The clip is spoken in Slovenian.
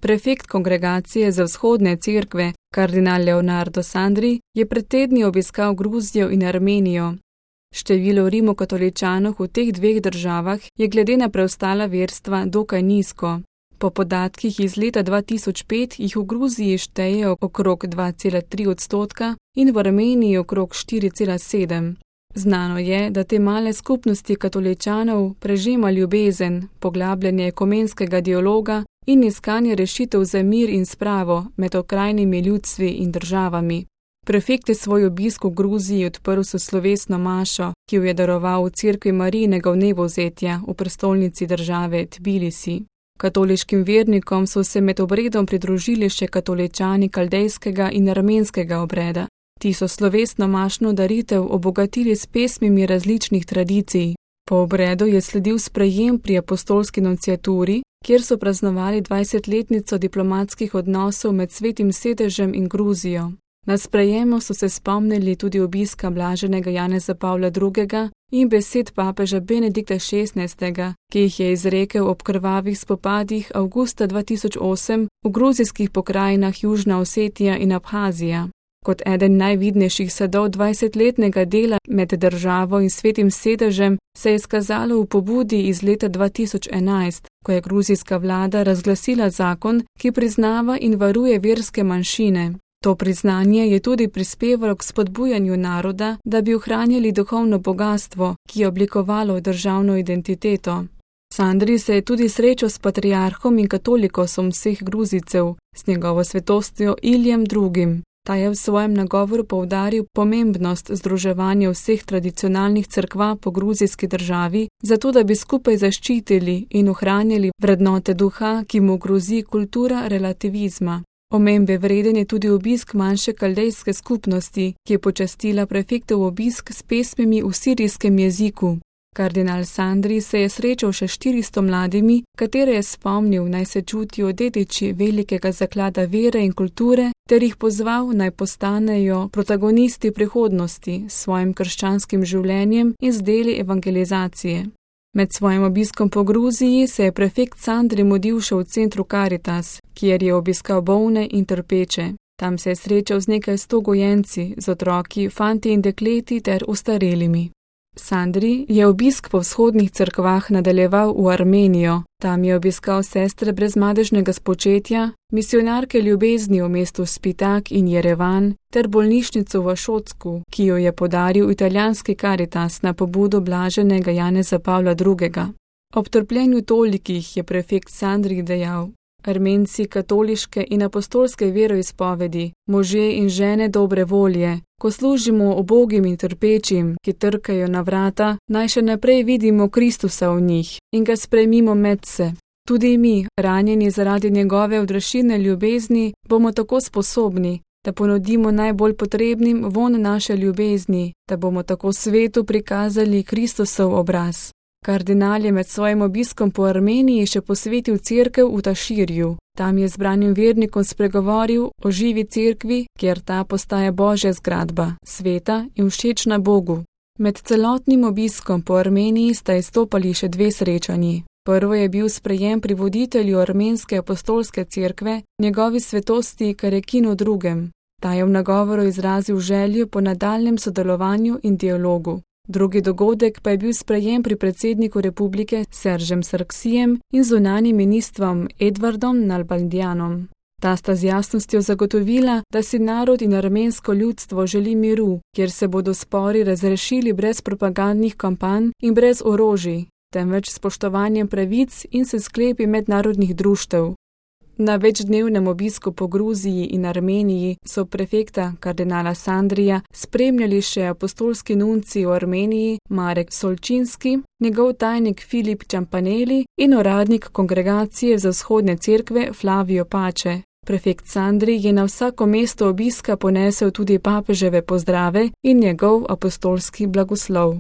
Prefekt kongregacije za vzhodne cerkve, kardinal Leonardo Sandri, je pred tedni obiskal Gruzijo in Armenijo. Število rimokatoličanov v teh dveh državah je glede na preostala verstva dokaj nizko. Po podatkih iz leta 2005 jih v Gruziji štejejo okrog 2,3% in v Armeniji okrog 4,7%. Znano je, da te male skupnosti katoličanov prežema ljubezen, poglabljanje ekumenskega dialoga in iskanje rešitev za mir in spravo med okrajnimi ljudstvi in državami. Prefekt je svoj obisk v Gruziji odprl s slovesno mašo, ki jo je daroval v cerkvi Marijinega vnebovzetja v prestolnici države Tbilisi. Katoliškim vernikom so se med obredom pridružili še katoličani kaldejskega in armenskega obreda. Ti so slovesno mašno daritev obogatili s pesmimi različnih tradicij. Po obredu je sledil sprejem pri apostolski nunciaturi, kjer so praznovali 20-letnico diplomatskih odnosov med Svetim sedežem in Gruzijo. Na sprejemu so se spomnili tudi obiska blaženega Janeza Pavla II. In besed papeža Benedikta XVI., ki jih je izrekel ob krvavih spopadih avgusta 2008 v gruzijskih pokrajinah Južna Osetija in Abhazija. Kot eden najvidnejših sadov 20-letnega dela med državo in Svetim sedežem se je izkazalo v pobudi iz leta 2011, ko je gruzijska vlada razglasila zakon, ki priznava in varuje verske manjšine. To priznanje je tudi prispevalo k spodbujanju naroda, da bi ohranjali duhovno bogatstvo, ki je oblikovalo državno identiteto. Sandri se je tudi srečal s patriarhom in katolikosom vseh Gruzijcev, s njegovo svetostjo Ilijem II. Ta je v svojem nagovoru poudaril pomembnost združevanja vseh tradicionalnih cerkva po gruzijski državi, zato da bi skupaj zaščitili in ohranjali vrednote duha, ki mu grozi kultura relativizma. Omembe vreden je tudi obisk manjše kaldejske skupnosti, ki je počastila prefektov obisk s pesmimi v sirijskem jeziku. Kardinal Sandri se je srečal še 400 mladimi, katere je spomnil, naj se čutijo dediči velikega zaklada vere in kulture, ter jih pozval, naj postanejo protagonisti prihodnosti s svojim krščanskim življenjem in z deli evangelizacije. Med svojim obiskom po Gruziji se je prefekt Sandri mudil še v centru Caritas, kjer je obiskal bolne in trpeče. Tam se je srečal z nekaj 100 gojenci, z otroki, fanti in dekleti ter ostarelimi. Sandri je obisk po vzhodnih cerkvah nadaljeval v Armenijo. Tam je obiskal sestre brezmadežnega spočetja, misionarke ljubezni v mestu Spitak in Jerevan ter bolnišnico v Šotsku, ki jo je podaril italijanski Caritas na pobudo blaženega Janeza Pavla II. Ob trpljenju tolikih je prefekt Sandri dejal: Armenci katoliške in apostolske veroizpovedi, možje in žene dobre volje, ko služimo ubogim in trpečim, ki trkajo na vrata, naj še naprej vidimo Kristusa v njih in ga sprejmimo medse. Tudi mi, ranjeni zaradi njegove odrešilne ljubezni, bomo tako sposobni, da ponudimo najbolj potrebnim von naše ljubezni, da bomo tako svetu prikazali Kristusov obraz. Kardinal je med svojim obiskom po Armeniji še posvetil cerkev v Taširju. Tam je zbranim vernikom spregovoril o živi cerkvi, kjer ta postaja Božja zgradba, sveta in všečna Bogu. Med celotnim obiskom po Armeniji sta izstopali še 2 srečanji. Prvo je bil sprejem pri voditelju armenske apostolske cerkve, njegovi svetosti Karekinu II. Ta je v nagovoru izrazil željo po nadaljnjem sodelovanju in dialogu. Drugi dogodek pa je bil sprejem pri predsedniku republike Seržem Sarksijem in zunanjim ministrom Edvardom Nalbandianom. Ta sta z jasnostjo zagotovila, da si narod in armensko ljudstvo želi miru, kjer se bodo spori razrešili brez propagandnih kampanj in brez orožij, temveč spoštovanjem pravic in s sklepi mednarodnih društev. Na večdnevnem obisku po Gruziji in Armeniji so prefekta kardinala Sandrija spremljali še apostolski nunci v Armeniji Marek Solčinski, njegov tajnik Filip Čampaneli in uradnik kongregacije za vzhodne cerkve Flavio Pače. Prefekt Sandri je na vsako mesto obiska ponesel tudi papeževe pozdrave in njegov apostolski blagoslov.